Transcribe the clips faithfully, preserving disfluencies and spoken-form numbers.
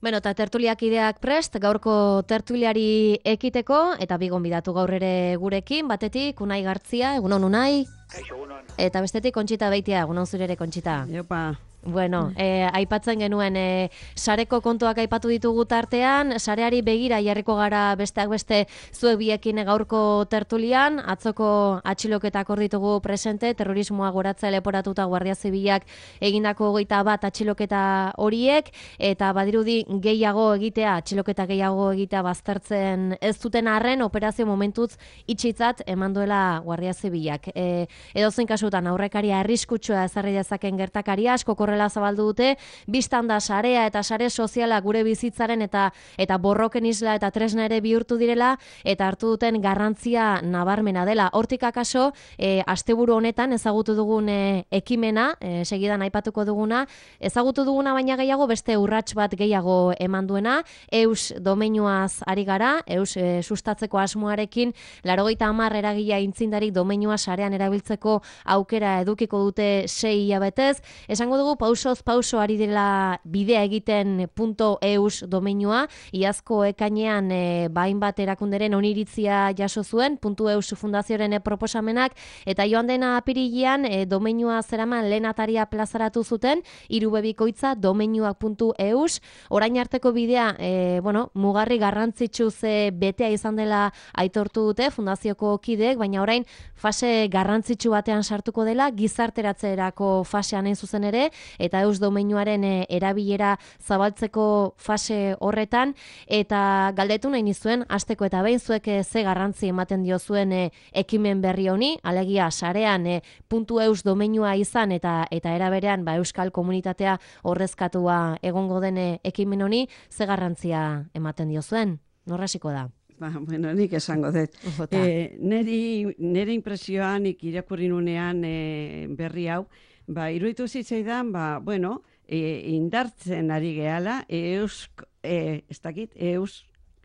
Bueno, eta tertuliak ideak prest, gaurko tertuliari ekiteko, eta bigon bidatu gaur ere gurekin, batetik, Unai Gartzia, egunon Unai, Kaixo, egunon. eta bestetik Kontxita Beitia, egunon zure ere Kontxita. Jopa. Bueno, eh, aipatzen genuen eh, sareko kontuak aipatu ditugu tartean, sareari begira jarriko gara besteak beste zuek biekin gaurko tertulian, atzoko atxiloketak hor ditugu presente, terrorismoa goratza leporatuta Guardia Zibilak egindako hogeita bat atxiloketa horiek, eta badirudi gehiago egitea, atxiloketa gehiago egitea baztertzen ez duten arren, operazio momentuz itxitzat eman duela Guardia Zibilak. E, edozein kasutan aurrekaria arriskutsua ezarri dezaken gertakaria, asko horrela zabaldu dute, biztan da sarea eta sare soziala gure bizitzaren eta eta borroken isla eta tresna ere bihurtu direla, eta hartu duten garrantzia nabarmena dela. Hortik akaso, e, asteburu honetan ezagutu dugun e, ekimena, e, segidan aipatuko duguna, ezagutu duguna baina gehiago beste urrats bat gehiago eman duena, eus domeinuaz ari gara, eus e, sustatzeko asmoarekin, laurogeita hamar eragila intzindarik domeinua sarean erabiltzeko aukera edukiko dute sei hilabetez. Esango dugu pausoz pauso ari dela bidea egiten .eus domeinua, iazko ekainean e, bain bat erakunderen oniritzia jaso zuen, .eus fundazioaren e, proposamenak, eta joan dena apirilean e, domeinua zeraman lehen ataria plazaratu zuten, irubebikoitza domeinuak.eus, orain arteko bidea, e, bueno, mugarri garrantzitsuz e, betea izan dela aitortu dute fundazioko kideek, baina orain fase garrantzitsu batean sartuko dela, gizarteratzerako fasean hain zuzen ere, eta eus domeinuaren e, erabilera zabaltzeko fase horretan, eta galdetu nahi nizuen, hasteko eta behin zuek e, ze garrantzi ematen dio zuen e, ekimen berri honi, alegia sarean e, .eus domeinua izan eta eta eraberean ba, euskal komunitatea horrezkatua egongo den e, ekimen honi, ze garrantzia ematen dio zuen? Norrasiko da? Ba, bueno, nik esango dut. E, neri, nere impresioa nik irakurri nunean e, berri hau, ba, iruditu zitzaidan, ba, bueno, e, indartzen ari gehala, eus, e, ez dakit, eus,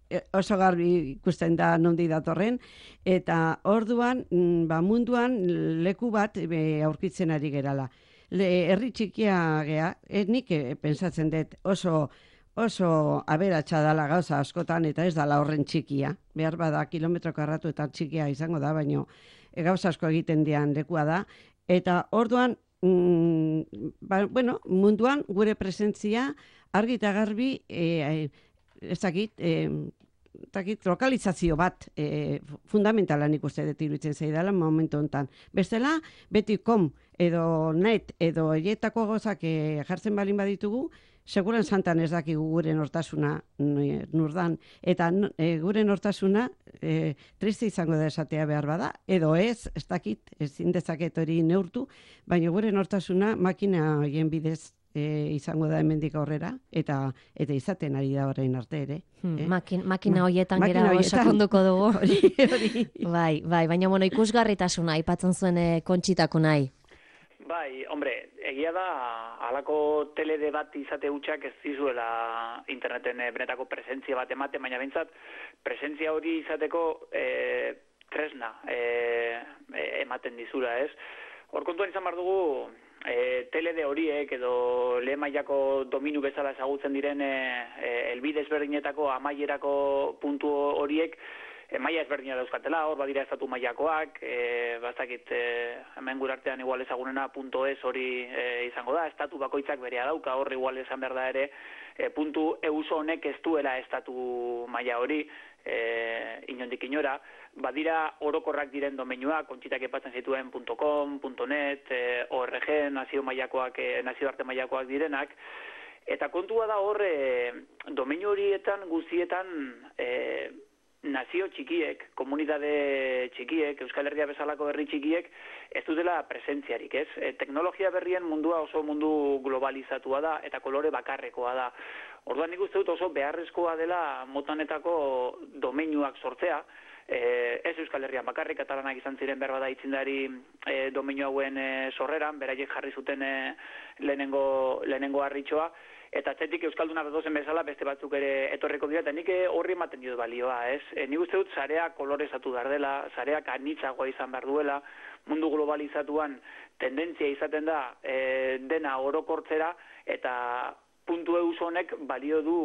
e, oso garbi ikusten da nondi datorren, eta orduan, ba, munduan leku bat e, aurkitzen ari gerala. Le, herri txikia gea, e, nik e, pensatzen dut oso, oso aberatsa dala gauza askotan, eta ez dala horren txikia. Behar bada kilometro karratu eta txikia izango da, baina e, gauza asko egiten dian lekua da. Eta orduan, mm, ba, bueno, munduan gure presentzia argi eta garbi, e, ez dakit, e, takit, lokalizazio bat e, fundamentalan ikuste dut iruditzen zaidala momentu honetan. Bestela, beti kom edo net edo eietako gozak e, jartzen balin baditugu, seguran santan ez dakigu gure nortasuna nurdan, eta e, gure nortasuna e, triste izango da esatea behar bada, edo ez, ez dakit, ezin dezaket hori neurtu, baina gure nortasuna makina horien bidez E, izango da hemendik aurrera, eta eta izaten ari da orain arte ere. Hmm, eh? makin, makina horietan Ma, gera sakonduko dugu. Hori, hori. Bai, bai, baina bueno, ikusgarritasuna aipatzen zuen e, Kontxitako nahi. Bai, hombre, egia da, halako telede bat izate hutsak ez dizuela interneten e, benetako presentzia bat ematen, baina behintzat, presentzia hori izateko e, tresna e, e, ematen dizula, ez? Hor kontuan izan behar dugu, E, telede horiek edo lehen mailako dominu bezala ezagutzen diren e, e, elbide ezberdinetako amaierako puntu horiek e, maila ezberdina dauzkatela, hor badira estatu mailakoak, e, bastakit e, hemen gure artean igual ezagunena .es hori e, izango da, estatu bakoitzak berea dauka, hor igual esan behar da ere, e, .eus honek ez duela estatu maila hori, e, inondik inora, badira orokorrak diren domeinuak, Kontxitak epatzen zituen .com, .net, e, org, nazio mailakoak, e, nazio arte mailakoak direnak, eta kontua da hor, e, domeinu horietan guztietan e, nazio txikiek, komunitate txikiek, Euskal Herria bezalako herri txikiek, ez dutela presentziarik, ez? E, teknologia berrien mundua oso mundu globalizatua da, eta kolore bakarrekoa da. Orduan nik uste dut oso beharrezkoa dela motanetako domeinuak sortzea, e, ez Euskal Herrian bakarrik, katalanak izan ziren behar bada itzindari e, domeinu hauen e, sorreran, beraiek jarri zuten e, lehenengo, lehenengo harritxoa, eta atzetik euskalduna betozen bezala beste batzuk ere etorriko dira, eta nik horri ematen dio balioa, ez? E, nik uste dut zarea kolorezatu behar dela, zareak anitzagoa izan behar duela, mundu globalizatuan tendentzia izaten da e, dena orokortzera, eta puntu eus honek balio du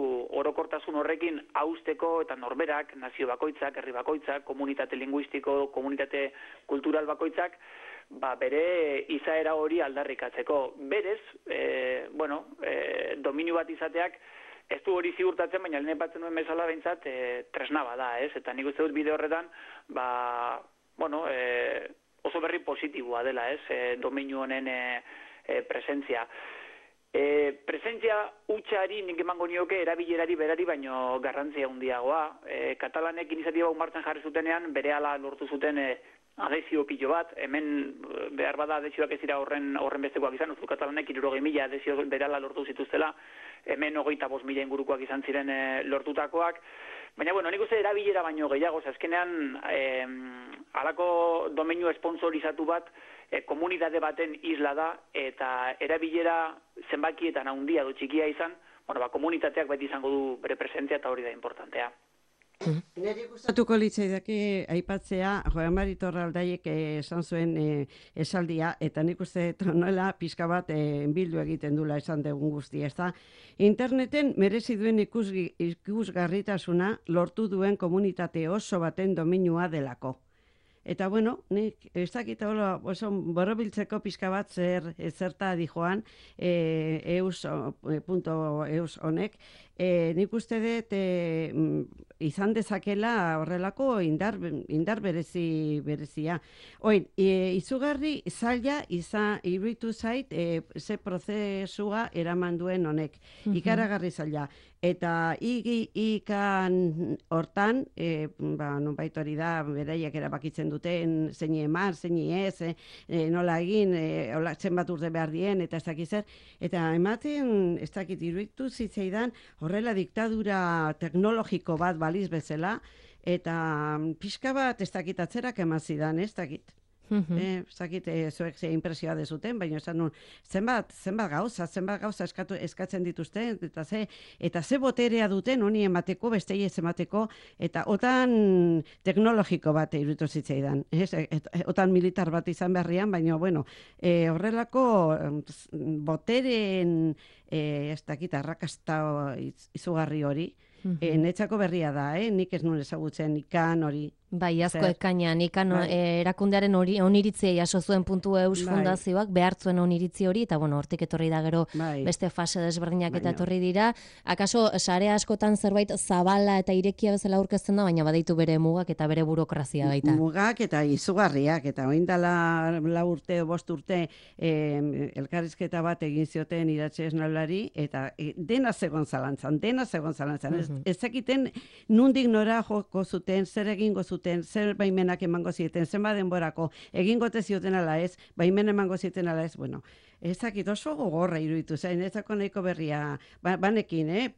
orokortasun horrekin hausteko eta norberak, nazio bakoitzak, herri bakoitzak, komunitate linguistiko, komunitate kultural bakoitzak, ba, bere izaera hori aldarrikatzeko. Berez, e, bueno, e, dominio bat izateak ez du hori ziurtatzen, baina lehen batzen duen bezala behintzat e, tresna bada, ez? Eta nik uste dut bide horretan, ba, bueno, e, oso berri positiboa dela, ez? E, dominio honen e, e, presentzia. E, presentzia utxari nik emango nioke erabilerari berari baino garrantzia handiagoa. E, Katalanek iniziatiba martxan jarri zutenean berehala lortu zuten e, adesio pilo bat, hemen behar bada adesioak ez dira horren, horren bestekoak izan, uzu Katalanek hirurogei mila adesio berehala lortu zituztela, hemen hogeita bost mila ingurukoak izan ziren e, lortutakoak, baina bueno, nik uste erabilera baino gehiago, azkenean e, halako domeinu esponsorizatu bat e, komunitate baten isla da, eta erabilera zenbakietan handia du txikia izan, bueno, ba, komunitateak beti izango du bere presentzia eta hori da importantea. Neri gustatuko litzaidake aipatzea Joan Mari Torraldaiek esan zuen e, esaldia, eta nik uste nola pixka bat e, bildu egiten dula esan dugun guztia, ez da? Interneten merezi duen ikusgi, ikusgarritasuna lortu duen komunitate oso baten dominua delako. Eta bueno, nik ez dakit hola, oso borobiltzeko pixka bat zer zerta di Joan e, eus punto eus honek, e, nik uste dut e, izan dezakela horrelako indar, indar berezi berezia. Oin, e, izugarri zaila izan iruditu zait e, ze prozesua eraman duen honek, ikaragarri zaila. Eta igi ikan hortan, e, ba, nonbait hori da, beraiek erabakitzen duten, zein eman, zein ez, e, nola egin, e, hola, zenbat urte behar dien, eta ez dakit zer. Eta ematen, ez dakit iruditu zitzaidan, horrela diktadura teknologiko bat baliz bezala, eta pixka bat ez dakit atzerak emazidan, ez dakit. Eh, zakit, eh, zuek ze impresioa dezuten, baina esan nun, zenbat, zenbat gauza, zenbat gauza eskatu, eskatzen dituzten, eta ze, eta ze boterea duten honi emateko, bestei ez emateko, eta otan teknologiko bat iruditu zitzaidan. Ez? Et, otan militar bat izan berrian, baina, bueno, eh, horrelako boteren, eh, ez dakit, arrakasta izugarri hori, eh, netzako berria da, eh? Nik ez nun ezagutzen ikan hori. Bai, asko ekainan, ikan bai. Erakundearen hori oniritzia jaso zuen puntu eus bai. Fundazioak, behartzuen oniritzi hori, eta bueno, hortik etorri da gero bai. Beste fase desberdinak eta etorri dira. Akaso, sare askotan zerbait zabala eta irekia bezala aurkezten da, baina badaitu bere mugak eta bere burokrazia baita. Mugak eta izugarriak, eta oindala lau urte, bost urte, eh, elkarrizketa bat egin zioten idatxe esnolari, eta eh, dena zegoen zalantzan, dena zegoen zalantzan. Uh -huh. Ez zekiten nundik nora joko zuten, zer egingo zuten, zer baimenak emango zieten, zenba denborako, egingote zioten ala ez, baimen emango zieten ala ez, bueno, ezakit oso gogorra iruditu zain, ezako nahiko berria, ba, banekin, eh,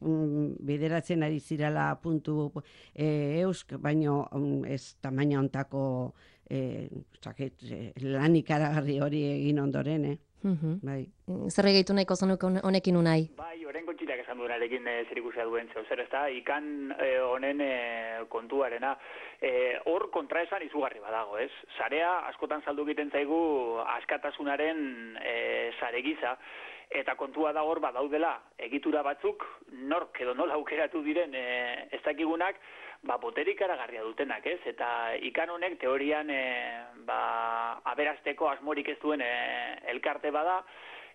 bideratzen ari zirala puntu eh, eusk, baino um, ez tamaina ontako eh, zakit, eh, lan ikaragarri hori egin ondoren, eh. Uh-huh. Bai. Zer egeitu nahiko zenuke honekin unai? Bai, orengo txirak esan duenarekin e, zer ikusia duen zeu, zer ez da, ikan honen e, kontuarena. Hor e, kontraesan izugarri badago, ez? Sarea askotan saldu egiten zaigu askatasunaren e, sare gisa, eta kontua da hor badaudela egitura batzuk, nork edo nola aukeratu diren e, ez dakigunak, ba, boterik aragarria dutenak, ez? Eta ikan honek teorian e, ba, aberasteko asmorik ez duen e, elkarte bada,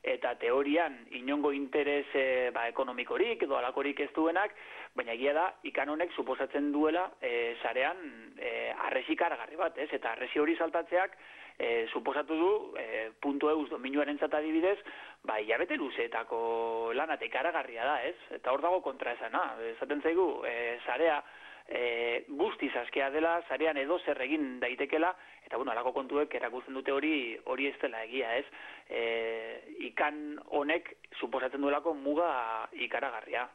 eta teorian inongo interes e, ba, ekonomikorik edo alakorik ez duenak, baina egia da, ikan honek suposatzen duela e, sarean e, arresik aragarri bat, ez? Eta arresi hori saltatzeak e, suposatu du, e, puntu eus dominuaren adibidez, ba, hilabete luzeetako lan ikaragarria da, ez? Eta hor dago kontraesana, esaten zaigu, e, sarea E, guztiz askea dela, sarean edo zer egin daitekela, eta bueno, alako kontuek erakusten dute hori hori ez dela egia, ez? E, ikan honek suposatzen duelako muga ikaragarria.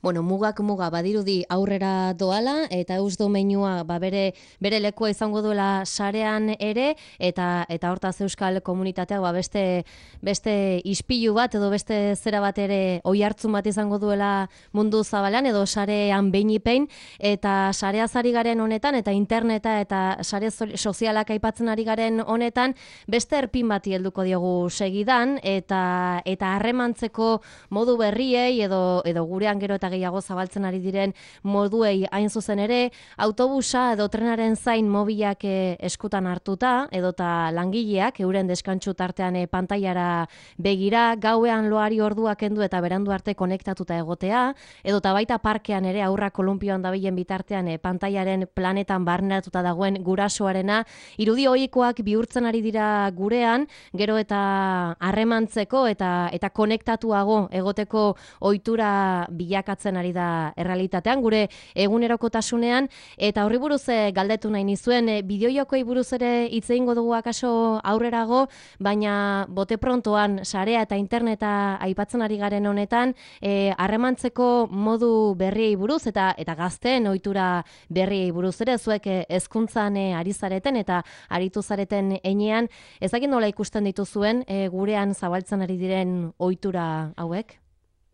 bueno, mugak muga badirudi aurrera doala, eta eus domeinua ba, bere, bere lekua izango duela sarean ere, eta eta hortaz euskal komunitateak ba, beste, beste ispilu bat, edo beste zera bat ere oi hartzun bat izango duela mundu zabalan, edo sarean beinipein, eta sareaz ari garen honetan, eta interneta eta sare sozialak aipatzen ari garen honetan, beste erpin bati helduko diogu segidan, eta eta harremantzeko modu berriei, edo, edo gurean gero eta gehiago zabaltzen ari diren moduei hain zuzen ere, autobusa edo trenaren zain mobilak e, eskutan hartuta, edota langileak euren deskantsu tartean e, pantailara begira, gauean loari orduak kendu eta berandu arte konektatuta egotea, edota baita parkean ere aurra kolumpioan dabilen bitartean e, pantailaren planetan barneratuta dagoen gurasoarena, irudi ohikoak bihurtzen ari dira gurean, gero eta harremantzeko eta eta konektatuago egoteko ohitura bilakatzen ari da errealitatean, gure egunerokotasunean, eta horri buruz e, galdetu nahi nizuen, e, bideojokoei buruz ere hitz egingo dugu akaso aurrerago, baina bote prontoan sarea eta interneta aipatzen ari garen honetan, e, harremantzeko modu berriei buruz eta eta gazteen ohitura berriei buruz ere, zuek e, hezkuntzan e, ari zareten eta aritu zareten heinean, ezakin nola ikusten dituzuen e, gurean zabaltzen ari diren ohitura hauek?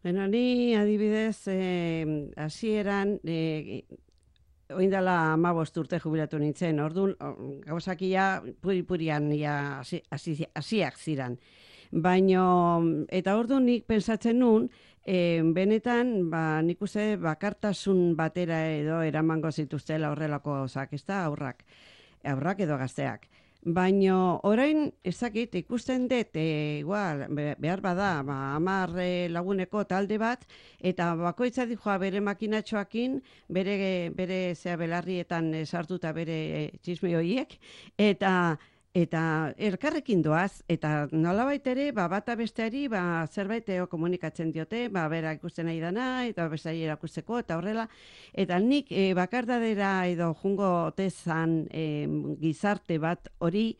Bueno, ni adibidez, hasieran, eh, oindala hamabost urte jubilatu nintzen, orduan gauzakia puri-purian hasiak ziran. Baina, eta orduan nik pensatzen nun, e, benetan, ba, nik uste bakartasun batera edo eramango zituztela horrelako zak, ez da, aurrak, aurrak edo gazteak. Baina orain ezakit ikusten dut, e, igual, behar bada, ba, hamar e, laguneko talde bat, eta bakoitza dijoa bere makinatxoakin, bere, bere zea belarrietan e, sartuta bere e, txisme horiek, eta eta elkarrekin doaz, eta nolabait ere, ba, bata besteari ba, zerbait eo komunikatzen diote, ba, bera ikusten nahi dana, eta besteari erakusteko, eta horrela, eta nik e, bakardadera edo jungo tezan e, gizarte bat hori,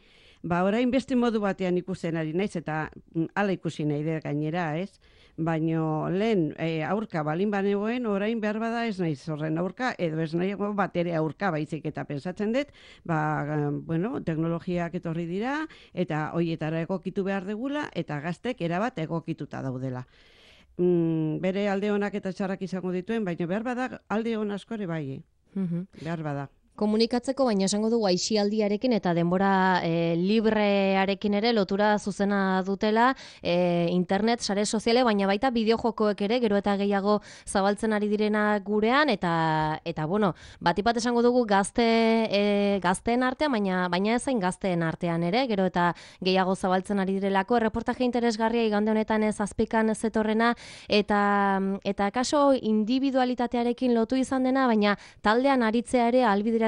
ba, orain beste modu batean ikusten ari naiz, eta hala ikusi nahi dut gainera, ez? Baino lehen e, aurka balin banegoen, orain behar bada ez naiz horren aurka, edo ez nahi bat ere aurka baizik eta pensatzen dut, ba, bueno, teknologiak etorri dira, eta hoietara egokitu behar degula, eta gaztek erabat egokituta daudela. Mm, bere alde honak eta txarrak izango dituen, baina behar bada alde hon asko ere bai, mm-hmm. behar bada. Komunikatzeko, baina esango dugu aisialdiarekin eta denbora e, librearekin ere lotura zuzena dutela, e, internet, sare soziale, baina baita bideojokoek ere, gero eta gehiago zabaltzen ari direna gurean, eta, eta bueno, batipat esango dugu gazte, e, gazteen artean, baina, baina ezain gazteen artean ere, gero eta gehiago zabaltzen ari direlako, erreportaje interesgarria igande honetan ez azpikan zetorrena, eta, eta kaso individualitatearekin lotu izan dena, baina taldean aritzea ere albide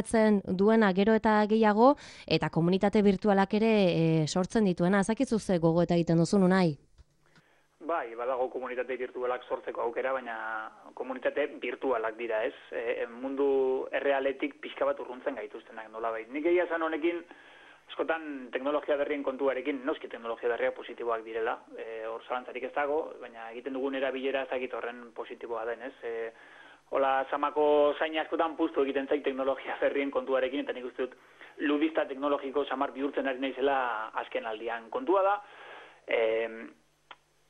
duena gero eta gehiago, eta komunitate virtualak ere e, sortzen dituena. Ezakizu ze gogo eta egiten duzun unai? Bai, badago komunitate virtualak sortzeko aukera, baina komunitate virtualak dira, ez? E, mundu errealetik pixka bat urruntzen gaituztenak nolabait. Nik egia zan honekin, askotan teknologia berrien kontuarekin, noski teknologia berriak positiboak direla, e, hor zalantzarik ez dago, baina egiten dugun erabilera ezakit horren positiboa den, ez? E, Hola, samako zain askotan puztu egiten zaik teknologia berrien kontuarekin, eta nik uste dut ludista teknologiko samar bihurtzen ari naizela azken aldian. Kontua da, e,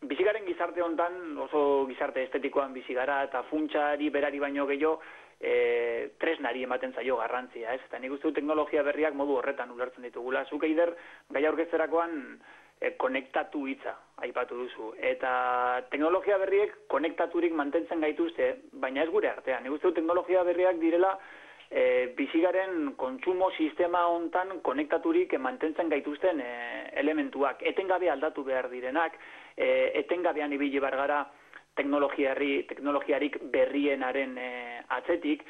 bizigaren gizarte hontan, oso gizarte estetikoan bizigara, eta funtsari berari baino gehiago, e, tresnari ematen zaio garrantzia, ez? Eta nik uste dut teknologia berriak modu horretan ulertzen ditugula. Zuk eider, gai aurkezterakoan, e, konektatu hitza aipatu duzu. Eta teknologia berriek konektaturik mantentzen gaituzte, baina ez gure artean. Nik uste dut teknologia berriak direla e, bizigaren kontsumo sistema hontan konektaturik mantentzen gaituzten e, elementuak. Etengabe aldatu behar direnak, e, etengabean ibili behar gara teknologiari, teknologiarik berrienaren e, atzetik,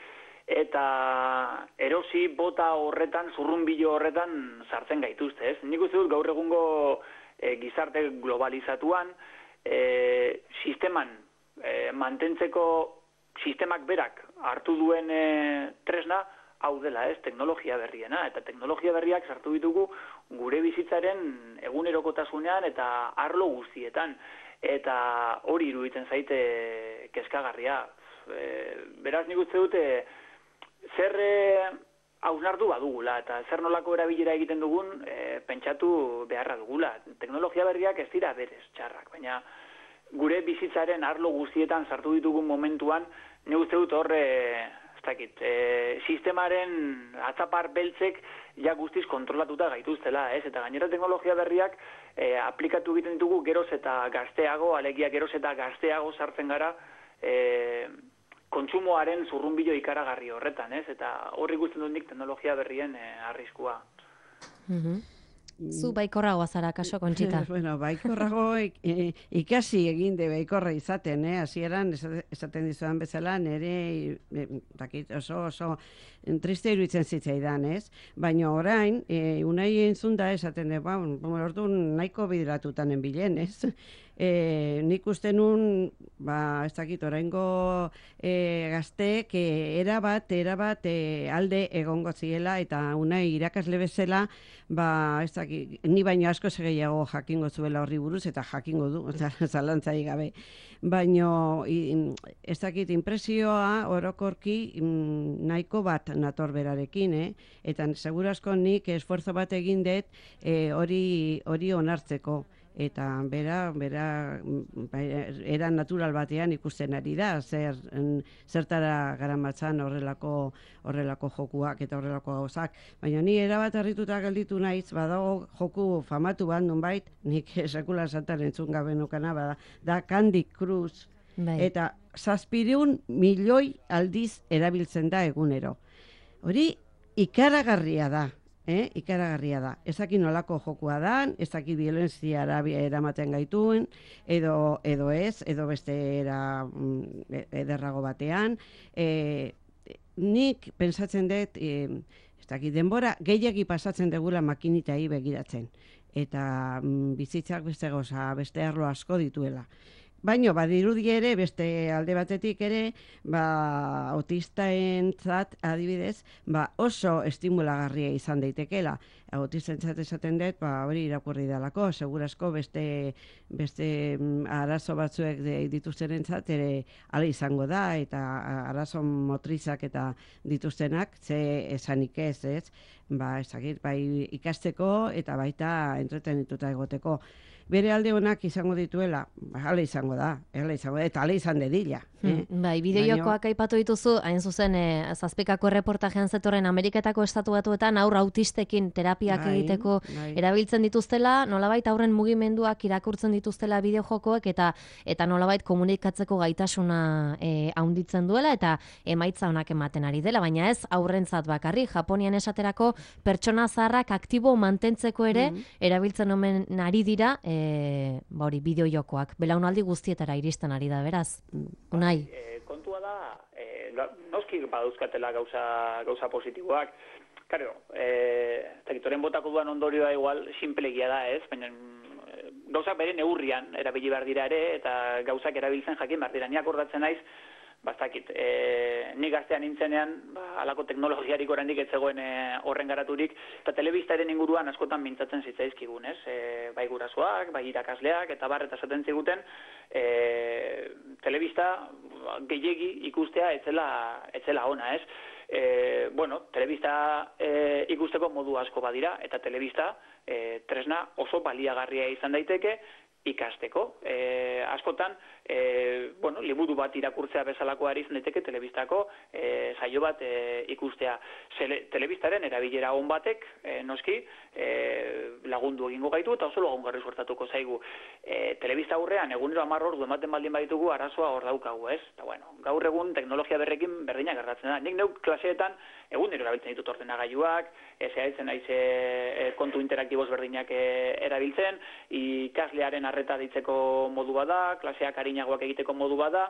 eta erosi bota horretan, zurrunbilo horretan sartzen gaituzte, ez? Nik uste dut gaur egungo e, gizarte globalizatuan, e, sisteman e, mantentzeko sistemak berak hartu duen e, tresna, hau dela, ez? Teknologia berriena, eta teknologia berriak sartu ditugu gure bizitzaren egunerokotasunean eta arlo guztietan, eta hori iruditzen zaite kezkagarria. E, beraz nik uste dute, zer e, hausnartu badugula, eta zer nolako erabilera egiten dugun e, pentsatu beharra dugula. Teknologia berriak ez dira berez txarrak, baina gure bizitzaren arlo guztietan sartu ditugun momentuan, nik uste dut horre, ez dakit, e, sistemaren atzapar beltzek ja guztiz kontrolatuta gaituztela, ez? Eta gainera teknologia berriak e, aplikatu egiten ditugu geroz eta gazteago, alegia geroz eta gazteago sartzen gara e, kontsumoaren zurrunbilo ikaragarri horretan, ez? Eta horri ikusten dut nik teknologia berrien e, arriskua. Mm-hmm. Zu baikorragoa zara, kaso, Kontxita? Bueno, baikorrago ikasi egin de baikorra izaten, eh? Hasieran esaten dizudan bezala, nire oso oso triste iruditzen zitzaidan, ez? Baina orain, unai entzun da esaten, ba, orduan nahiko bideratutan enbilen, ez? E, nik uste nun, ba, ez dakit, oraingo e, gazteek e, erabat, erabat e, alde egongo ziela, eta unai irakasle bezala, ba, ez dakit, ni baino asko gehiago jakingo zuela horri buruz, eta jakingo du, zalantzai gabe. Baino, ez dakit, impresioa orokorki nahiko bat nator berarekin, eh? Eta segurazko nik esforzo bat egin dut e, hori hori onartzeko. Eta bera, bera era natural batean ikusten ari da, zer, zertara garamatzan horrelako horrelako jokuak eta horrelako gauzak. Baina ni erabat harrituta gelditu naiz, badago joku famatu bat nonbait, nik sekula santan entzun gabe nukana, bada, da Candy Crush. Bai. Eta zazpireun milioi aldiz erabiltzen da egunero. Hori ikaragarria da. Eh, ikaragarria da. Ez dakit nolako jokua dan, ez dakit violenziara eramaten gaituen, edo, edo ez, edo beste era ederrago batean. E, nik pensatzen dut, e, ez dakit denbora, gehiagi pasatzen degula makinitai begiratzen. Eta mm, bizitzak beste goza, beste arlo asko dituela. Baina, badirudi ere, beste alde batetik ere, ba, autistaentzat adibidez, ba, oso estimulagarria izan daitekela. Autistentzat esaten dut, ba, hori irakurri dalako, segurazko beste, beste arazo batzuek dituztenentzat ere ala izango da, eta arazo motrizak eta dituztenak, ze esanik ez, ez? Ba, ezagir, bai ikasteko eta baita entretenituta egoteko. Bere alde honak izango dituela, hala izango da, hala izango da, eta hala izan dedila. Eh? Hmm, bai, bideojokoak aipatu dituzu, hain zuzen, eh, zazpikako erreportajean zetorren Ameriketako estatu batuetan aurra autistekin terapiak bai, egiteko bai. Erabiltzen dituztela, nolabait aurren mugimenduak irakurtzen dituztela bideojokoek, eta eta nolabait komunikatzeko gaitasuna eh, haunditzen duela, eta emaitza honak ematen ari dela, baina ez aurrentzat bakarri, Japonian esaterako pertsona zaharrak aktibo mantentzeko ere, mm -hmm. erabiltzen omen ari dira, E, ba hori, bideojokoak, belaunaldi guztietara iristen ari da, beraz, Unai? E, kontua da, e, noski badauzkatela gauza, gauza positiboak, karo, e, tekitoren botako duan ondorioa igual simplegia da, ez, baina gauzak bere neurrian erabili behar dira ere, eta gauzak erabiltzen jakin behar dira, ni akordatzen naiz, bastakit, e, ni gaztean nintzenean, ba, alako teknologiarik oraindik ez zegoen e, horren garaturik, eta telebistaren inguruan askotan mintzatzen zitzaizkigun, ez? E, bai gurasoak, bai irakasleak, eta bar, eta esaten ziguten, e, telebista gehiegi ikustea etzela, etzela ona, ez? E, bueno, telebista e, ikusteko modu asko badira, eta telebista e, tresna oso baliagarria izan daiteke, ikasteko. E, askotan, e, bueno, liburu bat irakurtzea bezalakoa ari izan daiteke telebistako e, saio bat e, ikustea. Zele, telebistaren erabilera on batek, e, noski, e, lagundu egingo gaitu eta oso lagungarri suertatuko zaigu. E, telebista aurrean, egunero hamar ordu ematen baldin baditugu arazoa hor daukagu, ez? Eta bueno, gaur egun teknologia berrekin berdina gertatzen da. Nik neuk klaseetan egunero erabiltzen ditut ordenagailuak, ez erabiltzen naiz e, kontu interaktiboz berdinak e, erabiltzen, ikaslearen arreta ditzeko modu bada, klaseak arinagoak egiteko modu bada,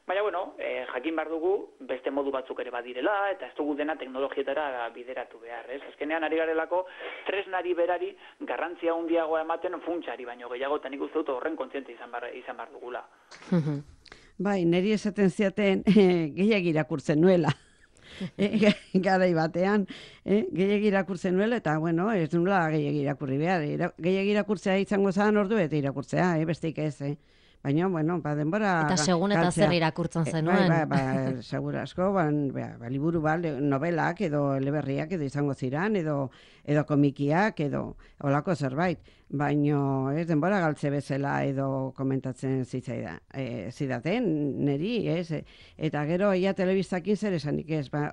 baina, bueno, e, jakin behar dugu beste modu batzuk ere badirela, eta ez dugu dena teknologietara bideratu behar, ez? Azkenean ari garelako tresnari berari garrantzia handiagoa ematen funtsari, baino gehiago eta nik uste dut horren kontziente izan behar, izan behar dugula. Bai, niri esaten ziaten gehiagik irakurtzen nuela. E, garai batean, eh, gehiagik irakurtzen nuela, eta, bueno, ez nula gehiagik irakurri behar. Gehiagik irakurtzea izango zan ordu eta irakurtzea, eh, besteik ez, eh. baina, bueno, ba, denbora... Eta segun eta zer irakurtzen zenuen. Bai, bai, ba, segur asko, ba, ba, liburu, ba, novelak edo eleberriak edo izango ziran, edo, edo komikiak, edo olako zerbait. Baino, ez, denbora galtze bezala edo komentatzen zitzaida. E, zidaten, neri, ez, eta gero, ia telebistakin zer esanik ez, ba,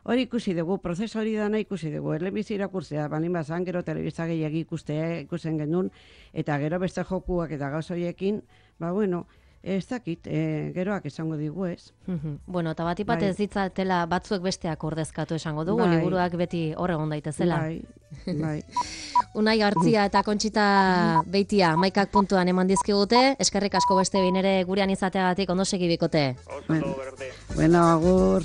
hori ikusi dugu, prozesu hori dana ikusi dugu, elebizi irakurtzea, balin bazan, gero telebista gehiagi ikustea, ikusen genuen, eta gero beste jokuak eta gauz horiekin, ba, bueno, ez dakit, e, geroak esango digu ez. Bueno, eta bat ipat ez ditzatela batzuek besteak ordezkatu esango dugu, bai. Liburuak beti hor egon daitezela. Bai, bai. Unai Gartzia eta Kontxita Beitia maikak puntuan eman dizkigute, eskerrik asko beste behin ere gurean izateagatik ondo segi bikote. Oso, bueno, bueno, agur.